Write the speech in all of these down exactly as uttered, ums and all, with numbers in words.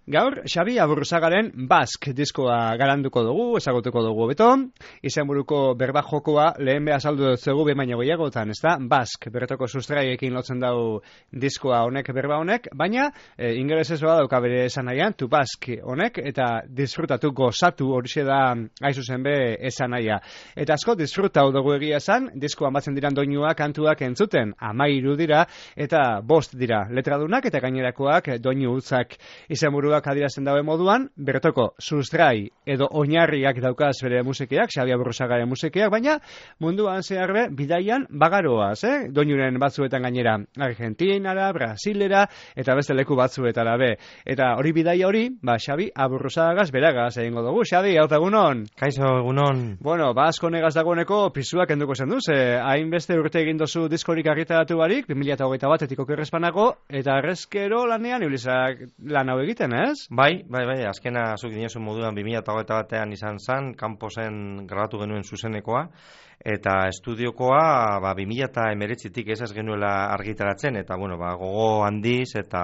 Gaur, Xabi Aburruzagaren Bask diskoa garanduko dugu, ezagutuko dugu beto, izenburuko berba jokoa lehen beha saldu dutzegu bemaino gehiagotan, ez da? Bask, berretoko sustraiekin lotzen dau diskoa honek, berba honek, baina e, ingelesez doa dauka bere esan nahian, tu Bask honek, eta disfrutatu gozatu horixe da aizu zen be esan nahia. Eta asko disfrutau dugu egia esan, diskoan batzen diran doinua kantuak entzuten, amairu dira, eta bost dira letradunak, eta gainerakoak doinu utzak izenburu adierazten daue moduan, bertoko sustrai edo oinarriak daukaz bere musikiak, Xabi Aburruzagaren musikiak, baina munduan zeharbe bidaian bagaroaz, eh? Doinuren batzuetan gainera Argentinara, Brasilera, eta beste leku batzuetara be. Eta hori bidaia hori, ba, Xabi Aburruzagaz beragaz egingo dugu. Xabi, hau egunon? Kaixo, egunon. Bueno, ba, asko negaz dagoeneko pisuak enduko zen duz, eh? Hainbeste urte egin dozu diskorik argitaratu barik, bi mila hogeita batetik okerrezpanago, eta arrezkero lanean ibilizak lan hau egiten, eh? Bai, bai, bai, azkena zuk dinosun moduan bi mila hogeita batean izan zan, kanposen grabatu genuen zuzenekoa, eta estudiokoa ba, bi mila hemeretzitik ez ez genuela argitaratzen, eta bueno, ba, gogo handiz eta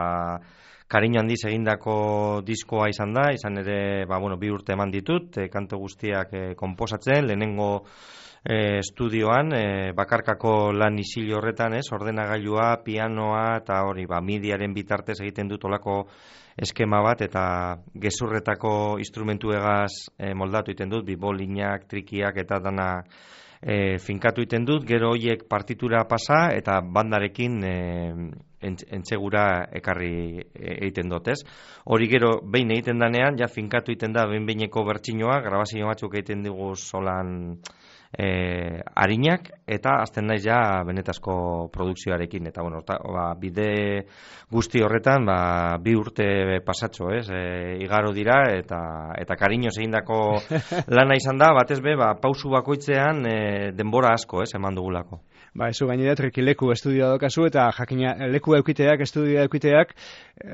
kariño handiz egindako diskoa izan da, izan ere ba, bueno, bi urte eman ditut, e, kantu guztiak e, konposatzen, lehenengo E, estudioan, e, bakarkako lan isil horretan, ez, ordenagailua, pianoa eta hori, ba, midiaren bitartez egiten dut olako eskema bat eta gezurretako instrumentuegaz e, moldatu iten dut, bibolinak, trikiak eta dana e, finkatu iten dut, gero hoiek partitura pasa eta bandarekin e, entzegura ekarri egiten dut, ez? Hori gero behin egiten danean, ja finkatu iten da behin-behineko bertsinoa, grabazio batzuk egiten digu solan E, arinak, eta azten naiz ja benetazko produkzioarekin, eta bueno, ta, ba, bide guzti horretan ba, bi urte pasatxo, ez, e, igaro dira, eta eta kariñoz egindako lana izan da, batez be, ba, pausu bakoitzean e, denbora asko, ez, eman dugulako. Ba, ez gainera trikileku estudioa dokazu, eta jakina leku eukiteak, estudioa eukiteak,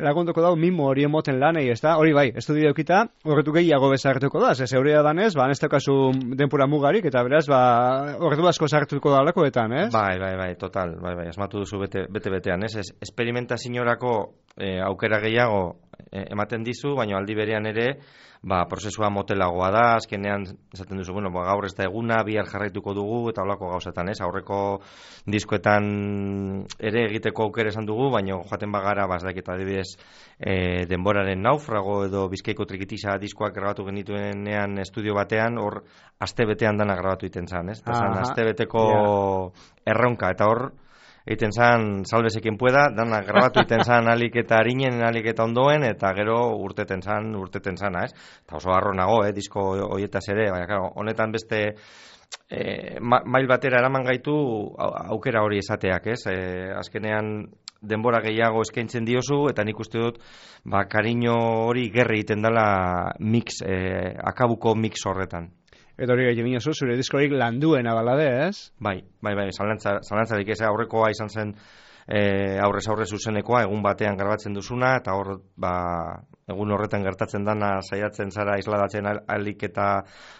lagunduko dau mimo hori emoten lanei, ez da? Hori bai, estudioa eukita, horretu gehiago bezartuko da, ez eurea danez, ba, ez daukazu denpura mugarik, eta beraz, ba, horretu asko sartuko da lakoetan, ez? Bai, bai, bai, total, bai, bai, asmatu duzu bete-betean, ez? Ez, esperimentazioarako e, aukera gehiago e, ematen dizu, baina aldi berean ere, ba, prozesua motelagoa da, azkenean, esaten duzu, bueno, ba, gaur ez da eguna, bihar jarraituko dugu, eta holako gauzetan, ez? Aurreko diskoetan ere egiteko aukera esan dugu, baina joaten bagara, ba, ez dakit, adibidez, e, denboraren naufrago edo Bizkaiko trikitisa diskoak grabatu genituenean estudio batean, hor, aste betean dana grabatu iten zan, ez? Eta zan, aste beteko yeah. erronka, eta hor, egiten zan, salbezekin pueda, dana grabatu iten zan alik eta harinen, alik eta ondoen, eta gero urteten zan, urteten zana, ez? Eta oso harro nago, eh, disko hoietaz ere, baina, claro, honetan beste eh, ma, mail batera eraman gaitu aukera hori esateak, ez? Eh, azkenean denbora gehiago eskaintzen diozu, eta nik uste dut, ba, kariño hori gerri egiten dela mix, eh, akabuko mix horretan. Eta hori gaiti binazu, zure diskorik landuen abalade, ez? Bai, bai, bai, zalantza, zalantzarik ez, aurrekoa izan zen e, aurrez aurrez zuzenekoa, egun batean grabatzen duzuna, eta hor, ba, egun horretan gertatzen dana saiatzen zara isladatzen alik eta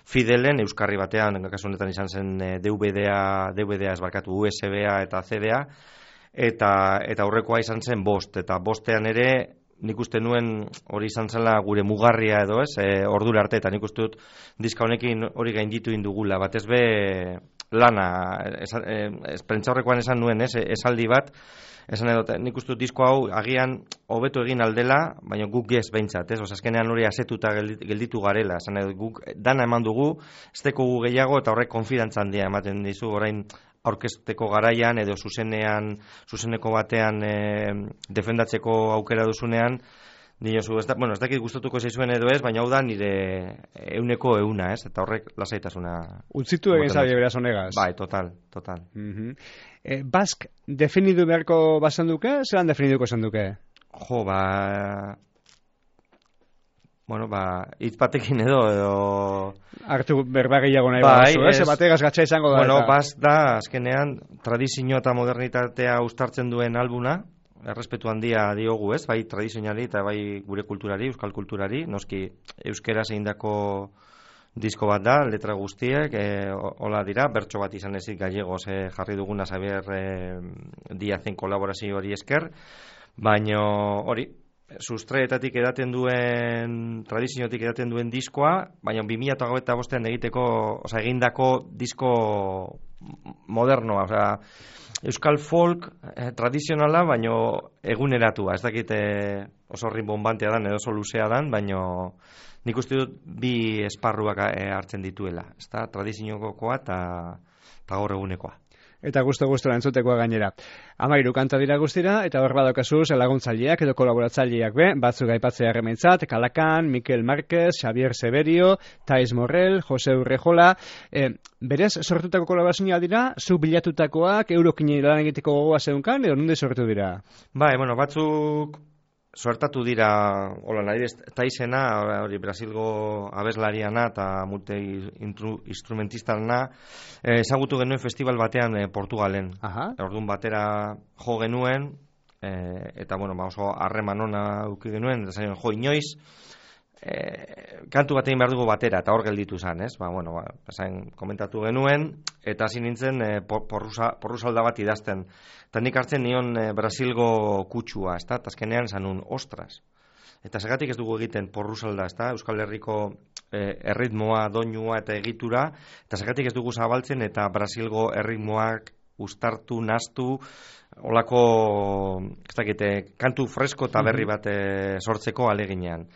fidelen, euskarri batean, kasu honetan izan zen D V D-a, D V D-a ez barkatu, U S B-a eta C D-a, eta, eta aurrekoa izan zen bost, eta bostean ere, nik uste nuen hori izan zela gure mugarria edo ez, e, ordura arte, eta nik uste dut diska honekin hori gainditu indugula, batez be lana, ez, ez, prentza horrekoan esan nuen, ez, esaldi bat, esan edo, nik uste dut disko hau agian hobeto egin aldela, baina guk ez behintzat, ez, azkenean hori asetuta gelditu garela, esan edo, guk dana eman dugu, ez teko gehiago, eta horrek konfidantza handia ematen dizu, orain aurkezteko garaian edo zuzenean, zuzeneko batean e, defendatzeko aukera duzunean, dinozu, ez da, bueno, ez dakit gustatuko zaizuen edo ez, baina hau da nire euneko euna, ez? Eta horrek lasaitasuna. Utzitu egin zabe beraz honegaz. Bai, total, total. Uh-huh. e, Bask, definidu beharko bazan duke, zelan definiduko zan duke? Jo, ba... Bueno, ba, hitz batekin edo, edo... Hartu berba gehiago nahi bai, baduzu, ez? Bategaz gatsa izango da. Bueno, eta... baz da, azkenean, tradizio eta modernitatea uztartzen duen albuna, errespetu handia diogu, ez? Bai tradizionali eta bai gure kulturari, euskal kulturari, noski euskeraz egindako disko bat da, letra guztiek, e, hola dira, bertso bat izan ezik gallegos e, jarri duguna Xabier e, Diazen kolaborazio hori esker, baino hori, sustraetatik edaten duen, tradiziotik edaten duen diskoa, baina bi mila hogeita bostean egiteko, oza, egindako disko modernoa, oza, euskal folk eh, tradizionala, baina eguneratua, ez dakit eh, oso rinbombantea dan, edo oso luzea dan, baina nik uste dut bi esparruak eh, hartzen dituela, ez da, tradiziokoa eta gaur egunekoa. Eta gusto-gustora entzutekoa gainera. Amairu kanta dira guztira, eta hor badokazuz laguntzaileak edo kolaboratzaileak be, batzuk aipatzea errementzat, Kalakan, Mikel Márquez, Xavier Severio, Tais Morrell, Jose Urrejola, e, berez sortutako kolaborazioa dira, zu bilatutakoak, eurokin lan egiteko gogoa zeunkan, edo nonde sortu dira? Bai, bueno, batzuk suertatu dira, hola, nahi Taisena, hori Brasilgo abeslariana eta multi instrumentistana, eh, ezagutu genuen festival batean eh, Portugalen. Aha. Orduan batera jo genuen, eh, eta bueno, ba, oso harreman ona uki genuen, eta zain jo inoiz, eh, kantu bat egin behar dugu batera, eta hor gelditu zen, ez? Ba, bueno, ba, zain komentatu genuen, eta hasi nintzen eh, porrusa, porrusalda bat idazten. Eta nik hartzen nion e, Brasilgo kutsua, ez da? Azkenean esan nun, ostras. Eta segatik ez dugu egiten porrusalda, ez da? Euskal Herriko e, erritmoa, doinua eta egitura, eta segatik ez dugu zabaltzen, eta Brasilgo erritmoak uztartu, nastu, olako, ez dakite, kantu fresko eta berri bat e, sortzeko aleginean.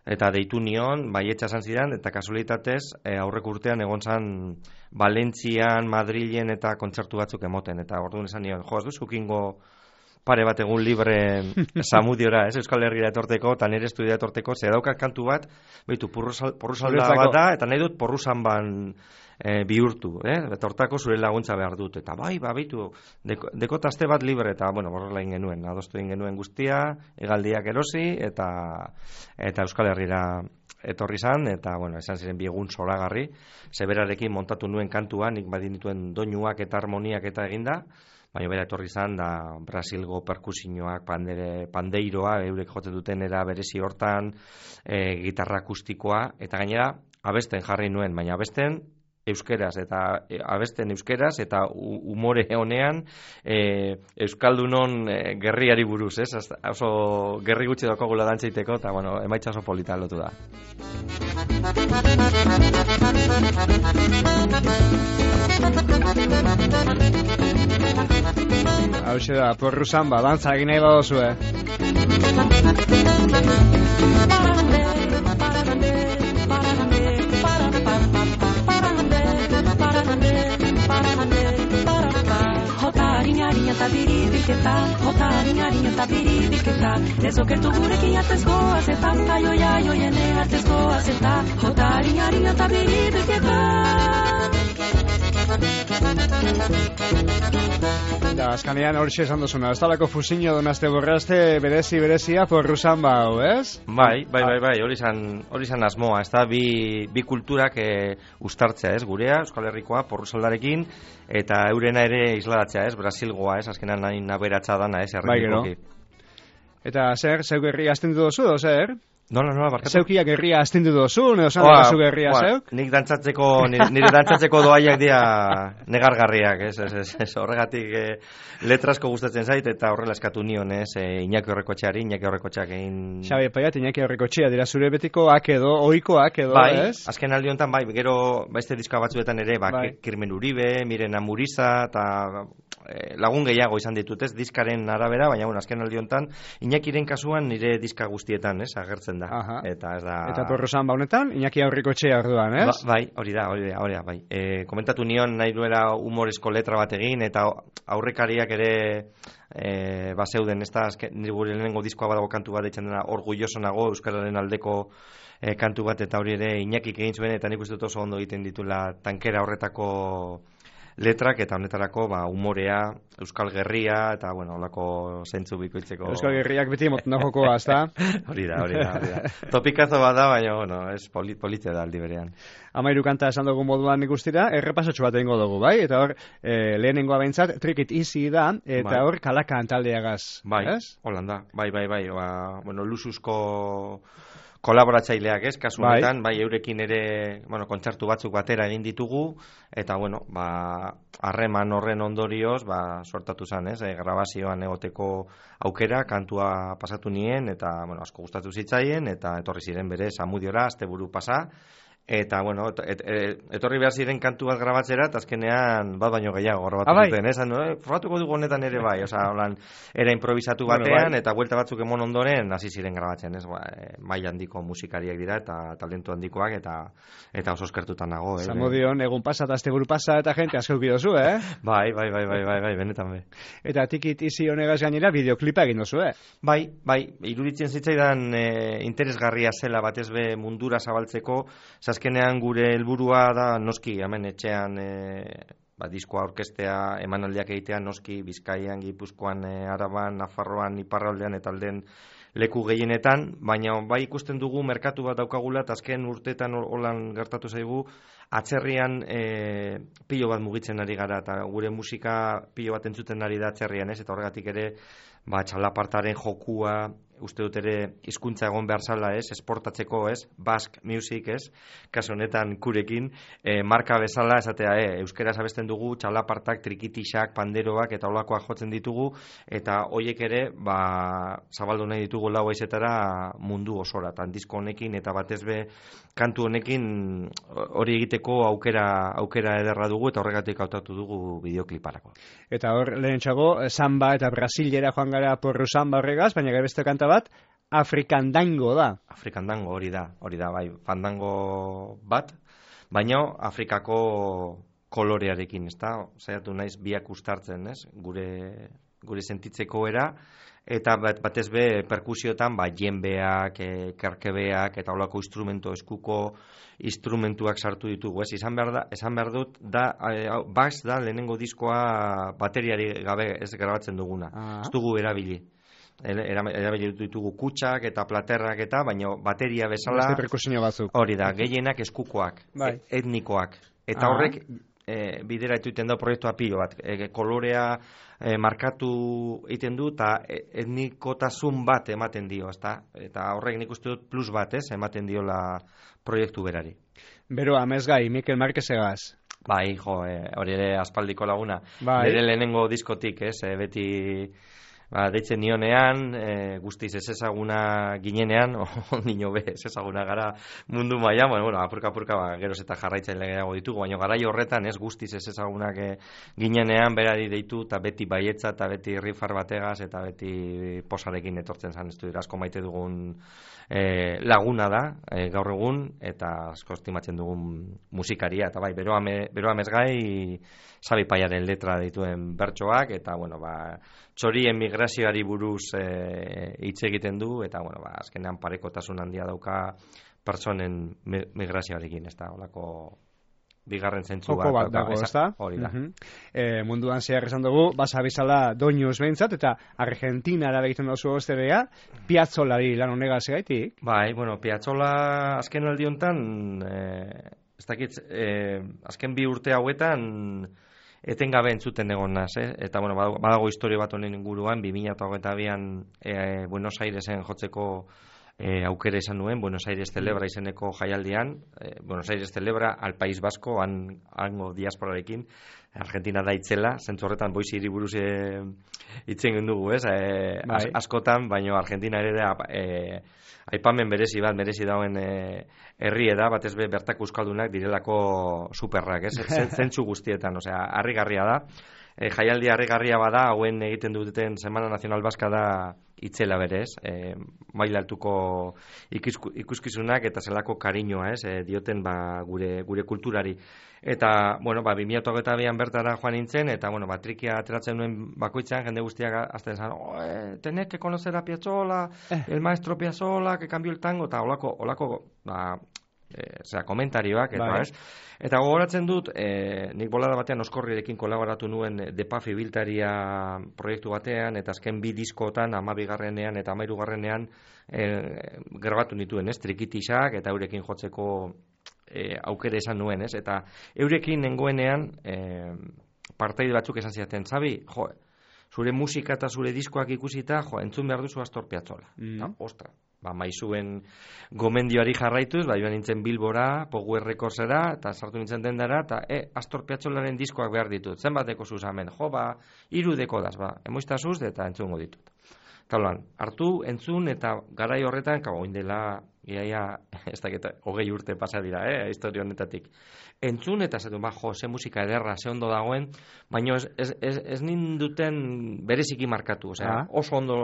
Eta deitu nion, baietxa esan zidan, eta kasualitatez, e, aurreko urtean egon zan Valentzian, Madrilen eta kontzertu batzuk emoten. Eta orduan esan nion, jo, ez du zukingo pare bat egun libre Zamudiora, ez, Euskal Herriera etorteko, eta nire estudia etorteko, ze daukat kantu bat, behitu, porrusalda bat da, eta nahi dut porrusan ban e, bihurtu, eh? Eta hortako zure laguntza behar dut, eta bai, ba, behitu, deko, dekotazte bat libre, eta, bueno, borrela egin genuen, adostu egin genuen guztia, egaldiak erosi, eta, eta Euskal Herriera etorri zan, eta, bueno, esan ziren bi egun zoragarri, zeberarekin montatu nuen kantua, nik badin dituen doinuak eta harmoniak eta eginda, baina bera etorri zan, da Brasilgo perkusioak, pandere, pandeiroa, eurek jotzen duten era berezi hortan, e, gitarra akustikoa, eta gainera, abesten jarri nuen, baina abesten euskeraz, eta e, abesten euskeraz, eta umore honean e, euskaldunon e, gerriari buruz, ez? Oso gerri gutxi daukagula dantzaiteko, eta bueno, emaitza oso polita lotu da. Hau da, porru samba, dantza egin nahi badozu, eh? Harinari eta biribiketa, jota harinari eta biribiketa, ez okertu gurekin atez goaz eta, aio jaio jene atez goaz eta, jota harinari eta biribiketa. Da, azkanean hori esan duzuna, ez talako fusiño donazte borrazte berezi-berezia porru samba hau, ez? Bai, bai, bai, bai, hori izan, hori izan asmoa, ez da, bi, bi kulturak e, ustartzea, ez, gurea, Euskal Herrikoa, porru saldarekin, eta eurena ere isladatzea, ez, Brasilgoa, ez, azkenan nahi naberatza dana, ez, erritikoki. Bai, eta zer, zeu gerria astendu dozu, o zer? Nola, nola, barkatu? Zeukia gerria astindu dozu, edo zan dakazu gerria zeuk? Nik dantzatzeko, nire, nire dantzatzeko doaiak dira negargarriak, ez, ez, ez, ez horregatik e, letrasko gustatzen zait, eta horrela eskatu nion, ez, e, Iñaki Horrekotxeari, Iñaki Horrekotxeak egin... Xabi, paiat, Iñaki Horrekotxea, dira zure betikoak edo, ohikoak edo, bai, ez? Bai, azken aldi honetan, bai, gero, baizte diska batzuetan ere, ba, bai. Kirmen Uribe, Miren Amuriza, eta e, lagun gehiago izan ditut, ez, diskaren arabera, baina, bueno, azken aldi honetan, Iñakiren kasuan nire diska guztietan, ez, agertzen da. Aha. Eta ez da... Eta porru samba honetan, Iñaki Horrekotxea orduan, ez? Ba, bai, hori da, hori da, hori da, bai. E, komentatu nion nahi duela humorezko letra bat egin, eta aurrekariak ere e, bazeuden, ez da, nire gure lehenengo diskoa badago kantu bat eitzen dena, orgulloso nago, Euskararen aldeko e, kantu bat, eta hori ere Iñakik egin zuen, eta nik uste dut oso ondo egiten ditula tankera horretako letrak, eta honetarako, ba, humorea, Euskal Gerria, eta, bueno, holako zentzu bikoitzeko... Euskal Gerriak beti moten da jokoa, ez da? Hori da, hori da, hori da. Topikazo bat da, baina, bueno, ez polit, politia da aldi berean. Amairu kanta esan dugu moduan ikustira, errepasotxo bat egingo dugu, bai? Eta hor, e, lehenengoa behintzat, Trick It Easy da, eta bai. Hor, Kalakan taldeagaz, bai, ez? Holanda, bai, bai, bai, ba, bueno, lusuzko kolaboratzaileak, ez, kasu Bai. honetan, bai, eurekin ere, bueno, kontzertu batzuk batera egin ditugu, eta, bueno, ba, harreman horren ondorioz, ba, sortatu zen, ez, e, grabazioan egoteko aukera, kantua pasatu nien, eta, bueno, asko gustatu zitzaien, eta etorri ziren bere, Zamudiora, asteburu pasa, eta, bueno, et, et, et, etorri behar ziren kantu bat grabatzera, eta azkenean bat baino gehiago grabatu ah, bai. zuten, ez? Eh? Probatuko dugu honetan ere bai, oza, holan, era improvisatu batean, bueno, bai. eta buelta batzuk emon ondoren, hasi ziren grabatzen, ez? Ba, e, maila handiko musikariak dira, eta talentu handikoak, eta eta oso eskertutan nago, eh? Zamudion, egun pasa, eta asteburu pasa, eta jente asko ukidozu, eh? bai, bai, bai, bai, bai, bai, benetan be. Eta tikit izi honegaz gainera, bideoklipa egin duzu, eh? Bai, bai, iruditzen zitzaidan e, interesgarria zela batez be mundura zabaltzeko, azkenean gure helburua da noski hemen etxean e, ba, diskoa orkestea emanaldiak egitea noski Bizkaian, Gipuzkoan, e, Araban, Nafarroan, Iparraldean eta alden leku gehienetan, baina bai ikusten dugu merkatu bat daukagula eta azken urteetan holan gertatu zaigu atzerrian e, pilo bat mugitzen ari gara eta gure musika pilo bat entzuten ari da atzerrian, ez? Eta horregatik ere ba, txalapartaren jokua uste dut ere hizkuntza egon behar zala, ez, esportatzeko, ez, Basque Music, ez, kasu honetan kurekin, e, marka bezala, esatea, e, euskera abesten dugu, txalapartak, trikitixak, panderoak, eta olakoak jotzen ditugu, eta hoiek ere, ba, zabaldu nahi ditugu lau aizetara mundu osora, eta disko honekin, eta batez be, kantu honekin hori egiteko aukera, aukera ederra dugu, eta horregatik hautatu dugu bideokliparako. Eta hor, lehentxago, samba eta brasilera joan gara porru samba horregaz, baina gara beste kanta bat, Afrikandango da. Afrikandango hori da, hori da, bai, fandango bat, baina Afrikako kolorearekin, ez da, saiatu naiz biak ustartzen, ez, gure, gure sentitzeko era, eta bat, batez be perkusiotan, ba, jenbeak, e, kerkebeak, eta holako instrumento eskuko instrumentuak sartu ditugu, ez, izan behar, da, izan behar dut, da, e, Bax da lehenengo diskoa bateriari gabe ez grabatzen duguna, ah. ez dugu erabili. Erabili ditugu kutsak eta platerrak eta, baina bateria bezala beste perkusio batzuk. Hori da, gehienak eskukoak, bai. etnikoak. Eta ah. horrek e, bidera etuten da proiektua pilo bat. E, kolorea e, markatu egiten du eta etnikotasun bat ematen dio, ezta? Eta horrek nik uste dut plus bat, ez, ematen diola proiektu berari. Bero, amezgai, Mikel Marquezegaz. Bai, jo, e, hori ere aspaldiko laguna. Bai. Bere lehenengo diskotik, ez, e, beti... Ba, deitzen nionean, e, guztiz ez ezaguna ginenean, o nino be, ez ezaguna gara mundu mailan, bueno, bueno, apurka apurka ba, geroz eta jarraitzaile gehiago ditugu, baina garai horretan ez guztiz ez ezagunak e, ginenean berari deitu, eta beti baietza, eta beti rifar bategaz, eta beti posarekin etortzen zan, ez du asko maite dugun e, laguna da, e, gaur egun, eta asko estimatzen dugun musikaria, eta bai, beroa, me, beroa mezgai, Sabi Paiaren letra dituen bertsoak, eta, bueno, ba, txorien migrazioari buruz hitz e, egiten du, eta, bueno, ba, azkenean parekotasun handia dauka pertsonen migrazioarekin, ez da, holako bigarren zentzu bat. bat dago, ez da? Hori da. Uh-huh. e, munduan zehar esan dugu, basa bizala doinuz behintzat, eta Argentinara egiten duzu osterea, Piazzolari lan honegaz egaitik? Bai, bueno, Piazzola azken aldi honetan, eh, ez dakit, eh, azken bi urte hauetan, etengabe entzuten egon naz, eh? Eta, bueno, badago historio bat honen inguruan, bi mila hogeita bian e, Buenos Airesen jotzeko e, aukera izan nuen, Buenos Aires Celebra izeneko jaialdian, e, Buenos Aires Celebra al País Vasco, han, hango diasporarekin, Argentina da itzela, zentzu horretan boizi hiriburuz e, itzen dugu, ez? E, bai. as, askotan, baina Argentina ere da e, aipamen berezi bat, merezi dauen e, herri da, batez be bertako euskaldunak direlako superrak, ez? Zentzu guztietan, osea, harrigarria da. E, jaialdi harrigarria bada, hauen egiten duten Semana Nacional Baska da itzela berez, e, maila altuko ikuskizunak eta zelako kariñoa, ez? E, dioten ba, gure, gure kulturari. Eta, bueno, ba, bi mila hogeita bian bertara joan nintzen, eta, bueno, ba, trikia ateratzen nuen bakoitzean, jende guztiak azten zan, oh, eh, tenés que conocer a Piazzolla, eh. el maestro Piazzolla, que cambió el tango, eta olako, olako, ba, e, zera, komentarioak, eta, bai. Ez? Eta gogoratzen dut, e, nik bolada batean Oskorrirekin kolaboratu nuen Depafi Biltaria proiektu batean, eta azken bi diskotan, amabigarrenean eta amairugarrenean, e, grabatu nituen, ez, trikitixak, eta eurekin jotzeko E, aukere esan nuen, ez? Eta eurekin nengoenean e, partaide batzuk esan ziaten, Zabi, jo, zure musika eta zure diskoak ikusita, jo, entzun behar duzu Astor Piazzolla. Mm. No? Ostra, ba, maizuen gomendioari jarraituz, ba, joan nintzen Bilbora, Power Recordsera, eta sartu nintzen dendara, eta, e, Astor Piazzolaren diskoak behar ditut, zenbateko zuz hemen, jo, ba, irudeko daz, ba, emoiztazuz, eta entzungo ditut. Eta holan, hartu, entzun, eta garai horretan, kabo, oindela, iaia, ez dakit, hogei urte pasa dira, eh, historia honetatik. Entzun, eta zatu, ba, jo, ze musika ederra, ze ondo dagoen, baina ez, ez, ez, ez ninduten bereziki markatu, osea, oso ondo,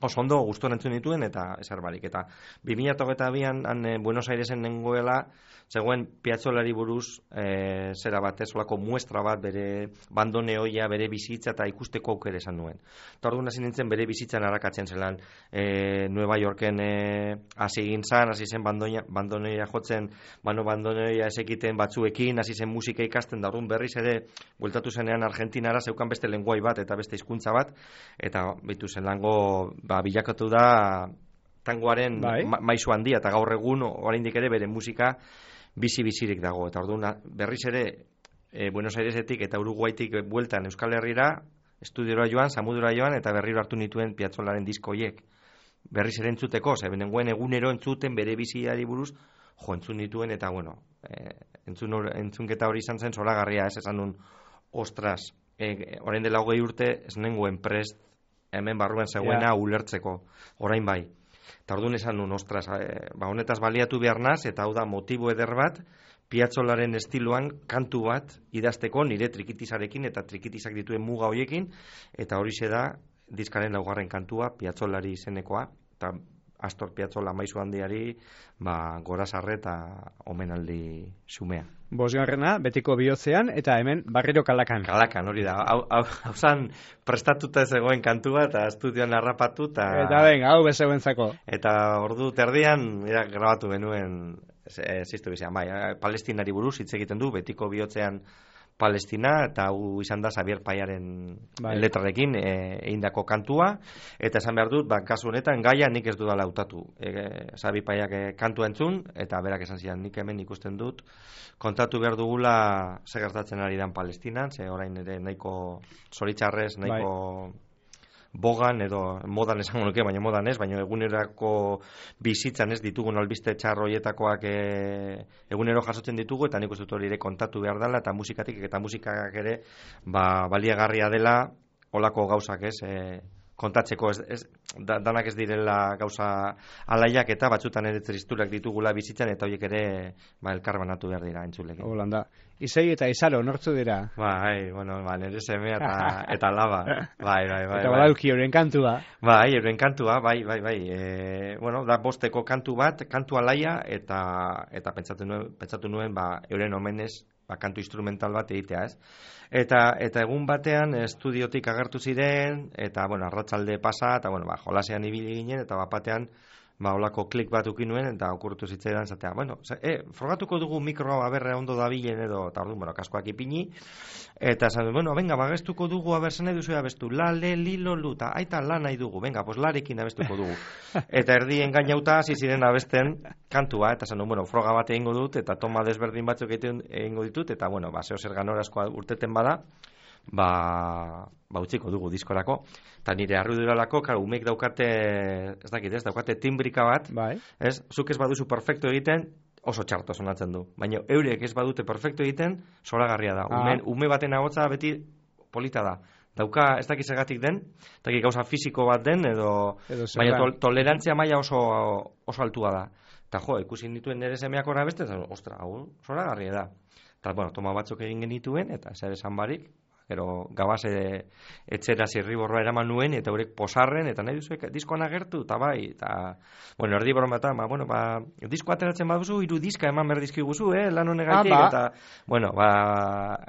oso ondo gustora entzun dituen, eta ezer barik. Eta bi mila hogeita bian, han eh, Buenos Airesen nengoela, zegoen Piazzolari buruz, e, zera bat, ez, olako muestra bat, bere bandoneoia, bere bizitza, eta ikusteko aukere esan nuen. Eta orduan hasi nintzen bere bizitzan harakatzen zelan, e, Nueva Yorken hasi egin zan, hasi zen bandoneoia, bandoneoia jotzen, bano bandoneoia esekiten batzuekin, hasi zen musika ikasten, da orduan berriz ere, bueltatu zenean Argentinara, zeukan beste lenguai bat, eta beste hizkuntza bat, eta bitu zelango, ba, bilakatu da, tangoaren bai. ma, maizu handia, eta gaur egun, oraindik ere bere musika, bizi-bizirik dago, eta orduan berriz ere e, Buenos Airesetik eta Uruguaitik bueltan Euskal Herrira, estudiora joan, samudura joan, eta berriro hartu nituen Piazzolaren diskoiek. Berriz ere entzuteko, ze benengoen egunero entzuten bere biziari buruz, jo, entzun nituen, eta bueno, e, entzun or, entzunketa hori izan zen zoragarria, ez esan nun, ostras, e, orain dela hogei urte, ez nengoen prest, hemen barruan zegoena yeah. ulertzeko, orain bai. Eta orduan esan nun, ostras, e, ba, honetaz baliatu behar naz, eta hau da motibo eder bat, Piazzolaren estiloan kantu bat idazteko nire trikitizarekin eta trikitizak dituen muga hoiekin, eta horixe da diskaren laugarren kantua, Piazzolari izenekoa, eta Astor Piazzolla maizu handiari, ba, gorazarre eta omenaldi xumea. Bosgarrena, betiko bihotzean, eta hemen barriro kalakan. Kalakan, hori da. Hau, hau, hau zan prestatuta ez egoen kantua, eta estudioan harrapatu, eta... Eta ben, hau bezegoentzako. Eta ordu terdian, ja, grabatu genuen, ziztu bizan, bai, Palestinari buruz hitz egiten du, betiko bihotzean Palestina, eta hau izan da Xavier Paiaren bai. letrarekin egindako e, kantua, eta esan behar dut, ba, kasu honetan gaia nik ez dudala hautatu. E, Xavier Paiak e, kantua entzun, eta berak esan zian, nik hemen ikusten dut, kontatu behar dugula ze gertatzen ari dan Palestinan, ze orain ere nahiko zoritxarrez, nahiko... Bai. Bogan edo modan esango nuke, baina modan ez, baina egunerako bizitzan ez ditugun albiste txarroietakoak e, egunero jasotzen ditugu, eta nik uste dut hori ere kontatu behar dela, eta musikatik eta musikak ere ba, baliagarria dela olako gauzak ez, e, kontatzeko ez, ez, da, danak ez direla gauza alaiak, eta batzutan ere tristurak ditugula bizitzan, eta horiek ere ba, elkar banatu behar dira entzulekin. Holanda. Izei eta Izaro, nortzu dira? Bai, bueno, ba, nire semea eta, eta laba. Bai, bai, bai. Eta badauki euren kantua. Bai, euren kantua, bai, bai, bai. E, bueno, da bosteko kantu bat, kantu alaia, eta, eta pentsatu nuen, pentsatu nuen ba, euren omenez, ba, kantu instrumental bat egitea, ez? Eta, eta egun batean estudiotik agertu ziren, eta, bueno, arratsalde pasa, eta, bueno, ba, jolasean ibili ginen, eta bat batean, ba, olako klik bat ukin nuen, eta okurtu zitzaidan, zatea, bueno, e, frogatuko dugu mikroa aberre ondo dabilen edo, eta orduan, bueno, kaskoak ipini, eta esan, bueno, venga, bagestuko dugu, abertzen nahi duzu abestu, la, le, li, lo, lu, eta aita la nahi dugu, venga, pues larekin abestuko dugu. Eta erdi engainauta hasi ziren abesten kantua, eta esan, bueno, froga bat egingo dut, eta toma desberdin batzuk egingo ditut, eta, bueno, ba, zeo zer ganorazkoa urteten bada, ba, ba utziko dugu diskorako, eta nire arruduralako, karo, umek daukate, ez dakit ez, daukate timbrika bat, bai. Ez, zuk ez baduzu perfecto egiten, oso txarto sonatzen du, baina eurek ez badute perfecto egiten, zoragarria da, ah. ume, ume baten agotza beti polita da, dauka, ez dakit segatik den, ez dakit gauza fisiko bat den, edo, edo baina to, tolerantzia maila oso, oso altua da, eta jo, ikusi dituen nire semeak horra beste, ostra, hau, zoragarria da, eta, bueno, toma batzuk egin genituen, eta zer esan barik, gero gabaz e, etxera zirriborroa eraman nuen, eta horrek posarren, eta nahi duzuek diskoan agertu, eta bai, eta, bueno, erdi borroa eta, ba, bueno, ba, disko ateratzen baduzu, hiru diska eman behar dizkiguzu, eh, lan honegaitik, ah, ba. Eta, bueno, ba,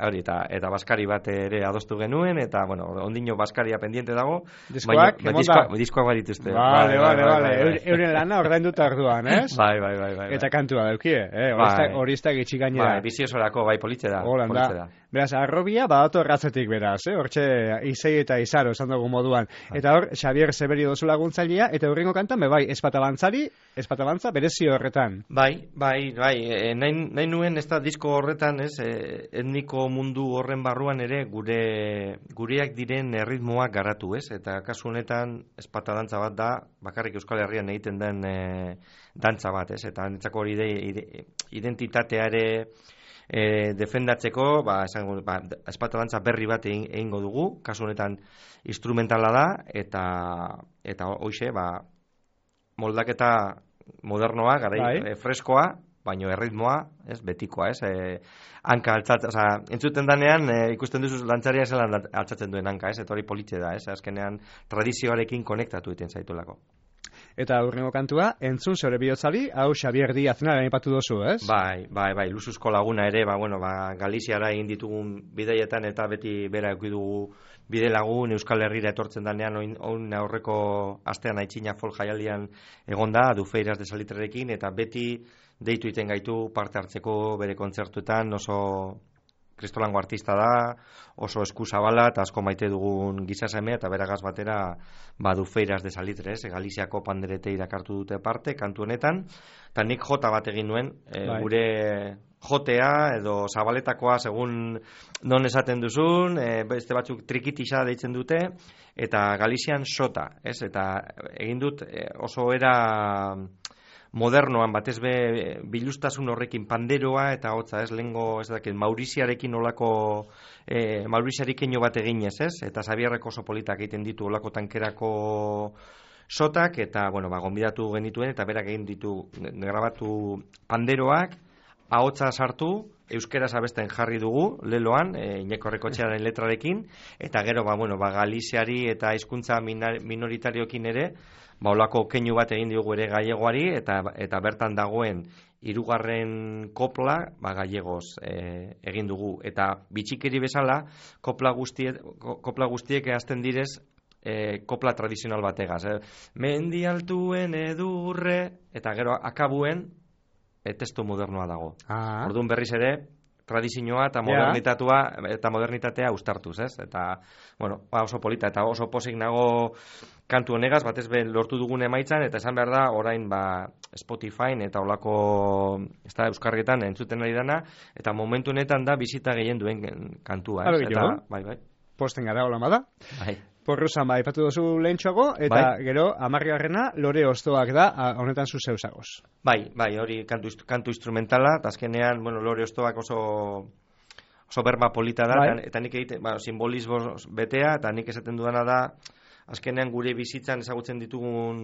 hori, eta, eta baskari bat ere adostu genuen, eta, bueno, ondino baskaria pendiente dago, diskoak, baina, ba, diskoak, diskoak barituzte. Vale, vale, vale, euren lana ordain dut arduan, ez? Bai, bai, bai, bai. Eta kantua daukie, eh, hori ez da gitxik gainera. Bai, biziosorako, bai, politxe da. Holanda. Beraz, arrobia, badato erratzen Zarautzetik beraz, eh? Hortxe Izei eta Izaro esan dugu moduan. Eta hor, Xabier Severio dozu laguntzailea, eta horrengo kantan, bai, espatabantzari, espatabanza berezio horretan. Bai, bai, bai, e, nahi, nahi nuen ez da disko horretan, ez, e, etniko mundu horren barruan ere gure gureak diren erritmoak garatu, ez, eta kasu honetan espatadantza bat da, bakarrik Euskal Herrian egiten den e, dantza bat, ez, eta netzako hori de, identitatea ere E, defendatzeko, ba, esango, ba, espatadantza berri bat egin, egingo dugu, kasu honetan instrumentala da, eta eta hoixe, ba, moldaketa modernoa, garai e, freskoa, baino erritmoa, ez, betikoa, ez, e, hanka altzat, oza, entzuten danean, e, ikusten duzu lantzaria zelan altzatzen duen hanka, ez, eta hori politxe da, ez, azkenean tradizioarekin konektatu egiten zaitulako. Eta aurrengo kantua, entzun zeure bihotzari, hau Xabier Diaznaren aipatu dozu, ez? Bai, bai, bai, Lusuzko laguna ere, ba, bueno, ba, Galiziara egin ditugun bidaietan eta beti bera eduki dugu bide lagun Euskal Herrira etortzen danean, oin, oin aurreko astean aitzina folk jaialdian egonda, Dufeiras de Salitrerekin, eta beti deitu iten gaitu parte hartzeko bere kontzertuetan, oso kristolango artista da, oso eskuzabala eta asko maite dugun gizasemea eta beragaz batera ba, Dufeiras de Salitres, e, Galiziako panderete irakartu dute parte, kantu honetan, eta nik jota bat egin nuen, e, gure jotea edo zabaletakoa segun non esaten duzun, e, beste batzuk trikitisa deitzen dute, eta Galizian sota, ez? Eta egin dut e, oso era modernoan batez be bilustasun horrekin panderoa eta hotza, ez, lengo, ez dakit, Mauriziarekin olako e, Mauriziarekin bat eginez, ez? Eta Xabierrek oso politak egiten ditu olako tankerako sotak, eta, bueno, ba, gonbidatu genituen, eta berak egin ditu grabatu panderoak, ahotsa sartu, euskeraz abesten jarri dugu, leloan, e, Iñeko Errekotxearen letrarekin, eta gero, ba, bueno, ba, Galiziari eta hizkuntza minoritariokin ere, ba, olako keinu bat egin diogu ere gallegoari, eta, eta bertan dagoen hirugarren kopla, ba, gallegoz e, egin dugu. Eta bitxikeri bezala, kopla guztiek, kopla guztiek hasten direz, e, kopla tradizional bategaz. Eh? Mendi altuen edurre, eta gero akabuen, e, testu modernoa dago. Ah. Orduan berriz ere, tradizioa eta modernitatua eta modernitatea uztartuz, ez? Eta, bueno, oso polita eta oso posik nago kantu honegaz, batez be lortu dugun emaitzan, eta esan behar da, orain ba, Spotify eta olako, ez da, euskarrietan entzuten ari dana, eta momentu honetan da bizita gehien duen kantua, ez? Eta, bai, bai. Posten gara hola da. Bai. Porruzan ba, ipatu duzu lehentxoago, eta bai. Gero, amarriarrena, lore ostoak da, honetan zu zeusagoz. Bai, bai, hori kantu, kantu instrumentala, eta azkenean, bueno, lore ostoak oso oso berba polita da, bai. eta, eta nik egite, ba, simbolismo betea, eta nik esaten dudana da, azkenean gure bizitzan ezagutzen ditugun,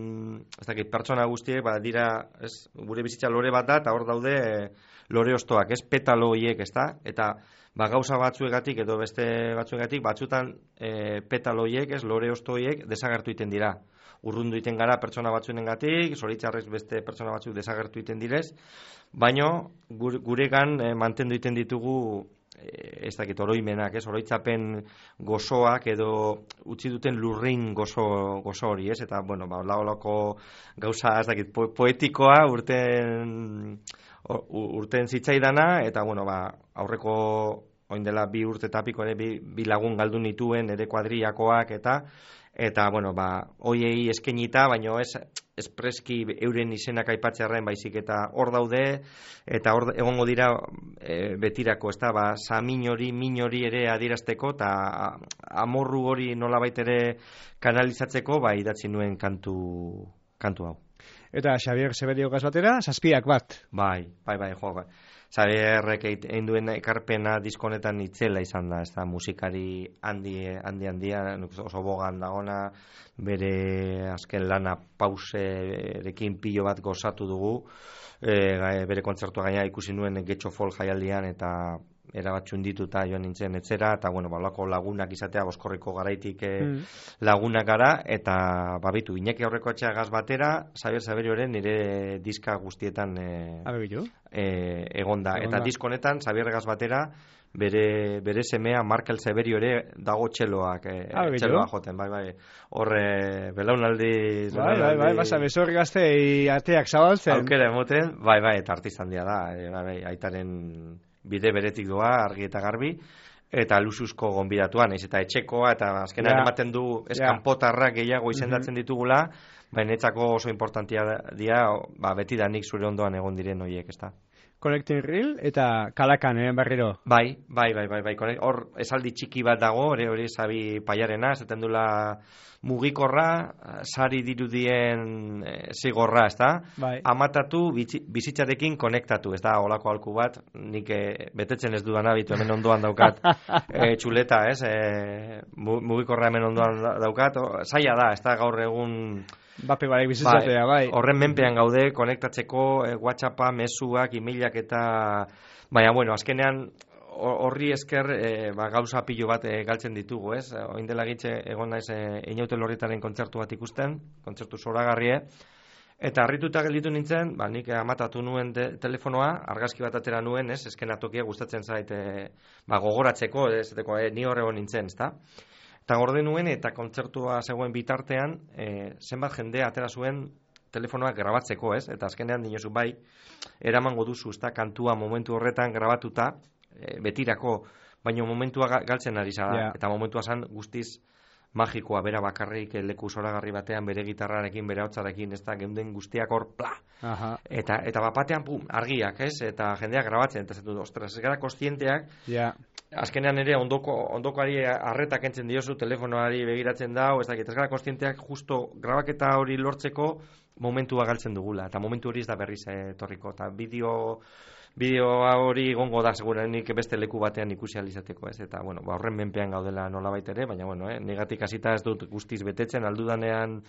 ez dakit, pertsona guztiek, ba, dira, ez, gure bizitza lore bat da, eta hor daude e, lore ostoak, ez, petalo hiek, ez da, eta ba, gauza batzuegatik edo beste batzuegatik, batzutan e, petalo hiek, ez, lore osto hiek, desagertu iten dira. Urrundu iten gara pertsona batzuengatik, zoritxarrez beste pertsona batzuk desagertu iten direz, baino gure, guregan e, mantendu iten ditugu ez dakit oroimenak, ez, oroitzapen gozoak edo utzi duten lurrin gozo, gozo hori, ez, eta, bueno, ba, laolako gauza, ez dakit, po, poetikoa urten urten zitzaidana, eta, bueno, ba, aurreko oin dela bi urte tapiko ere bi, bi lagun galdu nituen ere kuadriakoak, eta, eta, bueno, ba, hoiei eskenita, baino ez, espreski euren izenak aipatzearren baizik eta hor daude, eta hor egongo dira e, betirako, ez da, ba, samin hori, min hori ere adierazteko, eta amorru hori nolabait ere kanalizatzeko, ba, idatzi nuen kantu, kantu hau. Eta Xabier Severio gaz batera, zazpiak bat. Bai, bai, bai, jo, bai. Xabierrek egin duen ekarpena diskonetan itzela izan da, ez da, musikari handi, handi, handia, oso bogan dagona, bere azken lana pauserekin pilo bat gozatu dugu, e, bere kontzertua gaina ikusi nuen Getxo Folk jaialdian, eta erabatxun dituta joan nintzen etzera, eta, bueno, balako lagunak izatea, Boskorriko garaitik e, mm. lagunak gara, eta, babitu, Iñaki aurreko etxea gaz batera, Xabier Severioren nire diska guztietan e, e, egonda. Eta diskonetan, Xabier gaz batera, bere, bere semea Markel Severio ere dago txeloak, e, txeloa joten, bai, bai, horre belaunaldi... Bai, bai, bai, basa, bezor gazte ateak zabaltzen. Aukera emoten, bai, bai, eta artista handia da, e, bai, aitaren bide beretik doa, argi eta garbi, eta luxuzko gonbidatuan, naiz eta etxekoa, eta azkenean Ja. ematen du Ja. eskanpotarrak gehiago izendatzen ditugula, baina etzako oso importantia dira, ba, beti da nik zure ondoan egon diren horiek, ezta. Connecting Reel eta Kalakan, eh, berriro. Bai, bai, bai, bai, bai. Konek- Hor esaldi txiki bat dago, hori hori Sabi Paiarena, esaten dula mugikorra, sari dirudien e, zigorra, ezta? Bai. Amatatu, bitzi- bizitzarekin konektatu, ez da, holako alku bat, nik e, betetzen ez dudana, bitu hemen ondoan daukat e, txuleta, ez? E, mu- mugikorra hemen ondoan da- daukat, o, zaila da, ez da, gaur egun... Bape barek bizitzatea, bai. Horren menpean gaude, konektatzeko, e, WhatsAppa, mezuak, emailak eta... Baina, bueno, azkenean horri esker e, ba, gauza pilo bat e, galtzen ditugu, ez? Oin dela gitxe egon naiz e, Inaute Lorritaren kontzertu bat ikusten, kontzertu zoragarrie, eta harrituta gelditu nintzen, ba, nik amatatu nuen de, telefonoa, argazki bat atera nuen, ez? Eskenatokia gustatzen zait e, ba, gogoratzeko, ez? Eteko, e, ni horre nintzen, ezta? Eta gorde nuen eta kontzertua zegoen bitartean, e, zenbat jende atera zuen telefonoak grabatzeko, ez? Eta azkenean dinozu bai, eramango duzu, ezta, kantua momentu horretan grabatuta, e, betirako, baina momentua ga- galtzen ari zara, Ja. eta momentua zan guztiz magikoa, bera bakarrik e, leku zoragarri batean, bere gitarrarekin, bere hotzarekin, ez da, geunden guztiak hor, pla! Aha. Eta, eta bapatean, pum, argiak, ez? Eta jendeak grabatzen, eta zetu, ostras, ez gara kostienteak, Ja. azkenean ere ondoko ondokoari harreta kentzen diozu, telefonoari begiratzen dau, ez dakit, ez gara kostienteak justo grabaketa hori lortzeko momentua galtzen dugula, eta momentu hori ez da berriz etorriko, eta bideo bideoa hori gongo da segurenik beste leku batean ikusi ahal izateko, ez? Eta bueno, ba horren menpean gaudela nolabait ere, baina bueno, eh, negatik hasita ez dut guztiz betetzen, aldudanean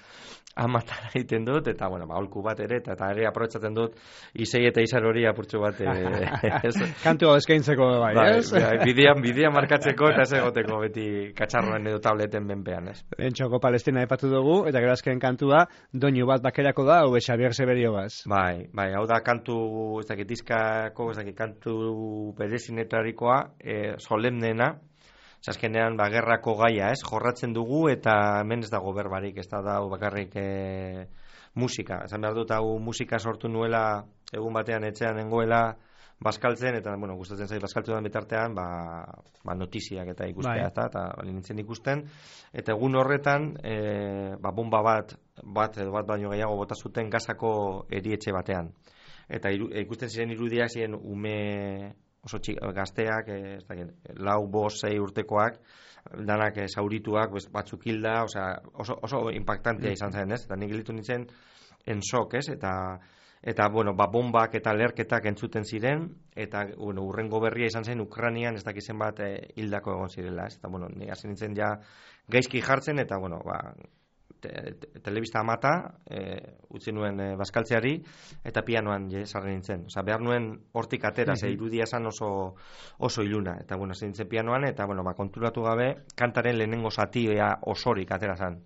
amatara egiten dut, eta bueno, ba aholku bat ere, eta, eta ere aprobetxatzen dut Isei eta Isar hori apurtxo bat eh, ez, Kantu eskaintzeko bai, bai, ez? bai, bidean, bidean markatzeko eta ez egoteko beti katxarroen edo tableten menpean, ez? Entxoko Palestina aipatu dugu, eta gero azken kantua, doinu bat bakerako da, hau Xabier Seberiogaz. Bai, bai, hau da kantu, ez dakit dizkako, ez dakit kantu berezinetarikoa, e, solemnena, azkenean ba, gerrako gaia, ez, jorratzen dugu, eta hemen ez dago berbarik, ez da hau bakarrik e, musika. Esan behar dut, hau musika sortu nuela, egun batean etxean nengoela, bazkaltzen, eta, bueno, gustatzen zait bazkaltu den bitartean, ba, ba notiziak eta ikustea, Bai. eta, eta nintzen ikusten, eta egun horretan, e, ba, bomba bat, bat edo bat baino gehiago bota zuten Gazako erietxe batean. Eta iru, ikusten ziren irudiak ziren ume oso txik, gazteak, e, ez dakit, lau, bost, sei urtekoak, danak e, zaurituak, bez, batzuk hilda, osea, oso, oso impactantea izan zen, ez? Eta nik gelitu nintzen en shock, ez? Eta eta bueno, ba, bombak eta lerketak entzuten ziren, eta bueno, urrengo berria izan zen Ukrainian ez dakizen bat e, hildako egon zirela, ez? Eta bueno, ni hasi nintzen ja gaizki jartzen, eta bueno, ba, te, te, telebista amata, e, utzi nuen e, bazkaltzeari, eta pianoan je, sarri nintzen. Osea, behar nuen hortik atera, ze irudia esan oso, oso iluna, eta bueno, hasi nintzen pianoan, eta bueno, ba, konturatu gabe, kantaren lehenengo zatia osorik atera zen.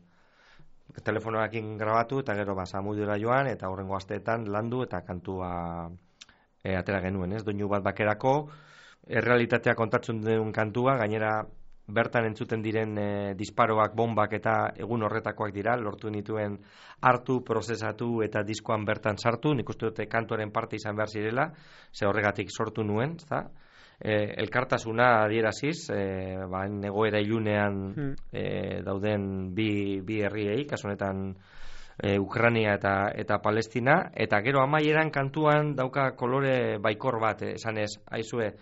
Telefonoarekin grabatu eta gero ba Samudera joan eta hurrengo asteetan landu eta kantua e, atera genuen, ez? Doinu bat bakerako errealitatea kontatzen duen kantua, gainera bertan entzuten diren e, disparoak, bombak eta egun horretakoak dira, lortu nituen hartu, prozesatu eta diskoan bertan sartu, nik uste dute kantuaren parte izan behar zirela, ze horregatik sortu nuen, ezta? E, elkartasuna adieraziz, e, ba, egoera ilunean Hmm. e, dauden bi, bi herriei, kasu honetan e, Ukraina eta, eta Palestina, eta gero amaieran kantuan dauka kolore baikor bat, eh, esanez, aizue,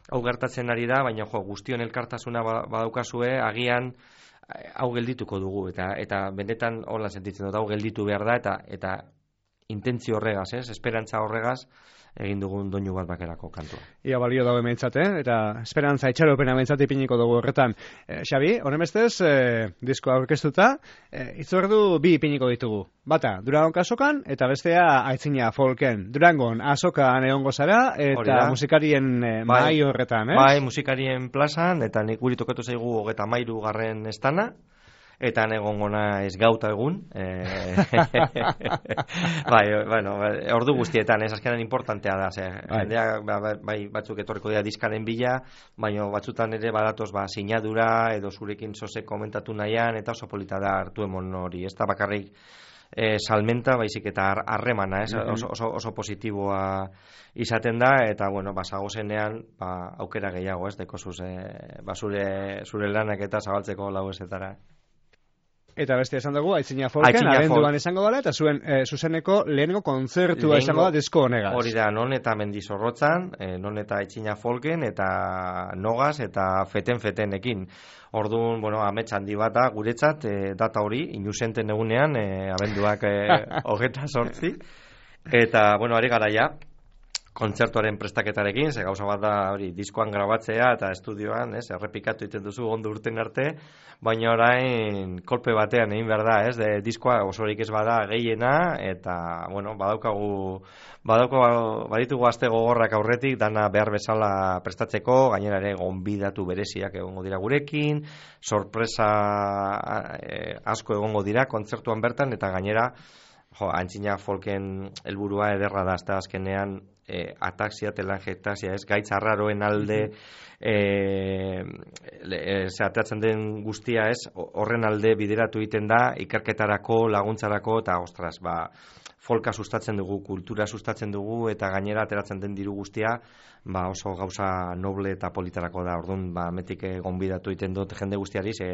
hau gertatzen ari da, baina jo, guztion elkartasuna ba- badaukazue, agian eh, hau geldituko dugu, eta eta benetan hola sentitzen dut, hau gelditu behar da, eta eta intentzio horregaz, ez, esperantza horregaz, egin dugun doinu bat bakerako kantua. Ia balio dago hementzat, eh? Eta esperantza itxaropena hementzat ipiniko dugu horretan. Eh, Xabi, horren bestez, eh, diskoa aurkeztuta, eh, itzordu bi ipiniko ditugu. Bata, Durangon azokan, eta bestea aitzina folken. Durangon azokan egongo zara, Hori eta da. musikarien eh, Bai. mahai horretan, eh? Bai, musikarien plazan, eta nik guri tokatu zaigu hogeta mairu garren estana, eta negongona ez gauta egun. E... bai, bueno, ordu guztietan, ez azkenan importantea da, ze, Bai. jendea, ba, ba, bai, batzuk etorriko dira diskaren bila, baina batzutan ere badatoz, ba, sinadura, edo zurekin zoze komentatu nahian, eta oso polita da hartu emon hori, ez da bakarrik e, salmenta, baizik eta harremana, ez? Oso, oso, oso positiboa izaten da, eta, bueno, ba, zagozenean, ba, aukera gehiago, ez? Deko zuz, e, ba, zure, zure lanak eta zabaltzeko lau ezetara. Eta beste esan dugu, Aitzina Folken, abenduan esango dela, eta zuen e, zuzeneko lehenengo kontzertua esango da disko honegaz. Hori da, non eta Mendizorrotzan, e, non eta Aitzina Folken, eta Nogaz, eta feten-fetenekin. Orduan, bueno, amets handi bat da, guretzat, e, data hori, inusenten egunean, e, abenduak e, hogeta sortzi. Eta, bueno, ari gara ja, kontzertuaren prestaketarekin, ze gauza bat da hori diskoan grabatzea eta estudioan, ez, errepikatu egiten duzu ondo urten arte, baina orain kolpe batean egin behar da, ez, de, diskoa osorik ez bada gehiena, eta, bueno, badaukagu, badaukagu, baditugu aste gogorrak aurretik, dana behar bezala prestatzeko, gainera ere gonbidatu bereziak egongo dira gurekin, sorpresa eh, asko egongo dira kontzertuan bertan, eta gainera, jo, Aitzina Folken helburua ederra da, azta azkenean, E, ataxia, telangiektasia, ez, gaitz arraroen alde e, e, zehateatzen den guztia, ez, horren alde bideratu egiten da, ikerketarako, laguntzarako, eta, ostras, ba, folka sustatzen dugu, kultura sustatzen dugu, eta gainera ateratzen den diru guztia, ba, oso gauza noble eta politarako da, orduan, ba, metik gonbidatu egiten dut jende guztiari, ze,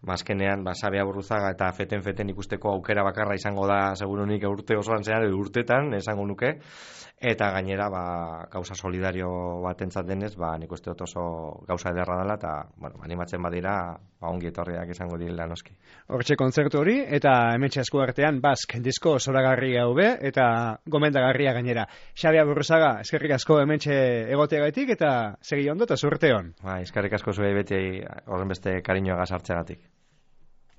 Bazkenean, ba, Sabia Burruzaga eta feten-feten ikusteko aukera bakarra izango da, segurunik urte osoan zehar, urtetan, esango nuke, eta gainera, ba, gauza solidario bat entzat denez, ba, nik uste dut oso gauza ederra dela, eta, bueno, animatzen badira, ba, ongi etorriak izango direla noski. Hortxe kontzertu hori, eta hementxe esku artean, Bask, disko zoragarri hau be, eta gomendagarria gainera. Sabia Burruzaga, eskerrik asko hementxe egoteagaitik, eta segi ondo eta zurte hon. Ba, eskerrik asko zuei beti horren beste kariñoa gazartzeagatik.